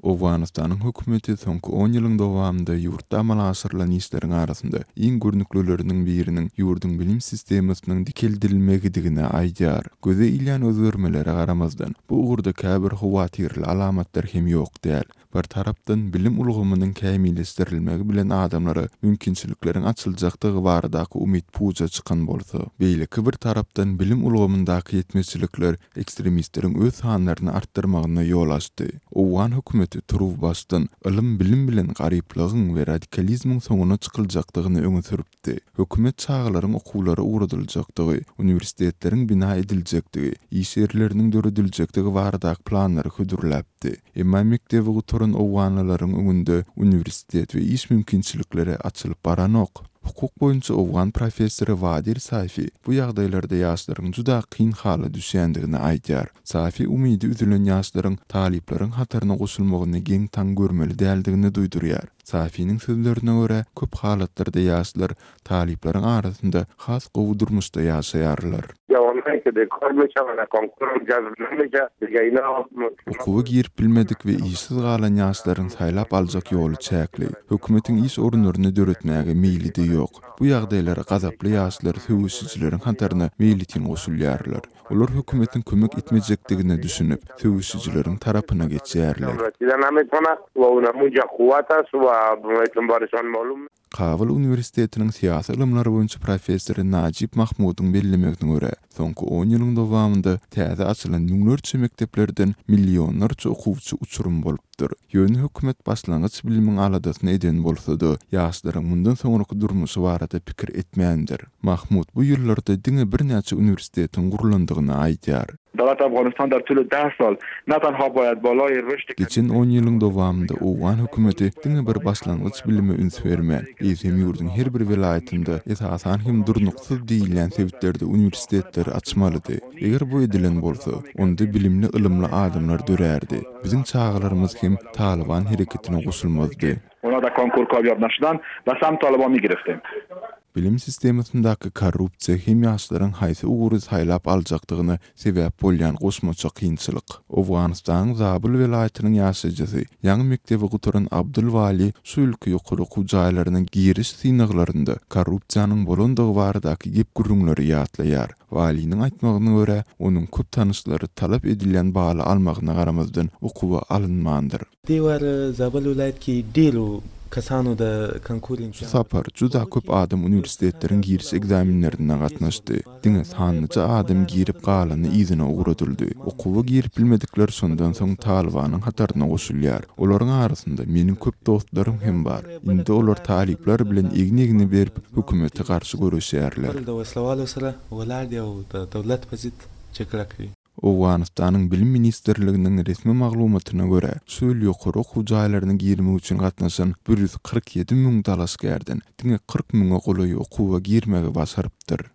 Owganystanyň hökümeti soňky on ýylyň dowamynda ýurtda amala aşyrylan işleriň arasynda iň görnüklileriniň biriniň ýurduň bilim sistemasynyň dikeldilmegidigini aýdýar. Göze ilýän özgermelere garamazdan, bu ugurda käbir howatyrly alamatlar hem ýok däl. Bir tarapdan, bilim ulgamynyň kämilleşdirilmegi bilen adamlara mümkinçilikleriň açyljakdygy baradaky umyt puja çykan bolsa, beýleki bir tarapdan, bilim ulgamyndaky ýetmezçilikler ekstremistleriň öz sanlaryny artdyrmagyna ýol açdy. Owgan hökümeti turuwbaşdan ylym-bilim bilen garyplygyň we radikalizmiň soňuna çykyljakdygyny öňe sürüpdi. Hökümet çagalaryň okuwlara ugradyljakdygy, uniwersitetleriň bina ediljekdigi, iş ýerleriniň dörediljekdigi baradaky planlary hödürläpdi. Emma mekdebi gutaran owganlylaryň öňünde uniwersitet we iş mümkinçilikleri açylyp baranok. Hukuk boýunça owgan professory Wadir Safi bu ýagdaýlarda ýaşlaryň juda kyn hala düşýändigini aýdýar. Safi umydy üzülen ýaşlaryň talyplaryň hataryna goşulmagyny geň-taň görmeli däldigini duýdurýar. Safiniň sözlerine görä, köp halatlarda ýaşlar talyplaryň arasynda has gowy durmuşda ýaşaýarlar. Okuwa girip bilmedik we işsiz galan ýaşlaryň saýlap aljak ýoly çäkli. Hökümetiň iş orunlaryny döretmäge meýli-de ýok. Bu ýagdaýlara gazaply ýaşlar söweşijileriň hataryna meýletin goşulýarlar. Olar hökümetiň kömek etmejekdigine düşünip, söweşijileriň tarapyna geçýärler. Kabul uniwersitetiniň syýasy ylymlar boýunça professory Najib Mahmudyň bellemegine görä, soňky on ýylyň dowamynda täze açylan müňlerçe mekdeplerden millionlarça okuwçy uçurym bolupdyr. Ýöne hökümet başlangyç bilimiň aladasyny eden bolsa-da, ýaşlaryň mundan soňraky durmuşy barada pikir etmändir. Mahmud bu ýyllarda diňe birnäçe uniwersitetiň gurlandygyny aýdýar. Dawlat Afganistan dar tulu deh sal ne tenha bayad balay rüşd Geçen on ýylyň dowamynda owgan hökümeti diňe bir başlangyç bilime üns bermän, eýsem ýurduň her bir welaýatynda, esasan hem durnuksyz diýilýän sebitlerde uniwersitetleri açmalydy. Eger bu edilen bolsa, onda bilimli-ylymly adamlar dörärdi. Biziň çagalarymyz hem Talyban hereketine goşulmazdy. Ona da konkur kamyab naşudan ba samt Talyban migiriftim. Bilim sistemasyndaky korrupsiýa hem ýaşlaryň haýsy ugry saýlap aljakdygyna sebäp bolýan goşmaça kynçylyk. Owganystanyň Zabul welaýatynyň ýaşaýjysy, ýaňy mekdebi gutaran Abdul Wali şu ýylky ýokary okuw jaýlaryna giriş synaglarynda korrupsiýanyň bolandygy baradaky gep-gürrüňleri ýatlaýar. Waliniň aýtmagyna görä, onuň köp tanyşlary talap edilýän baly almagyna garamazdan okuwa alynmandyr. Şu sapar juda köp adam uniwersitetleriň giriş ekzamenlerine gatnaşdy. Diňe sanlyja adam girip galany yzyna ugradyldy. Okuwa girip bilmedikler şondan soň Talybanyň hataryna goşulýar. Olaryň arasynda meniň köp dostlarym hem bar. Indi olar talyplar bilen egin-egne berip hökümete garşy göreşýärler. Owganystanyň Bilim ministrliginiň resmi maglumatyna görä, şu ýyl ýokary okuw jaýlaryna girmek üçin gatnaşan 147 müň dalaşgärden diňe 40 müňe golaýy okuwa girmegi başarypdyr.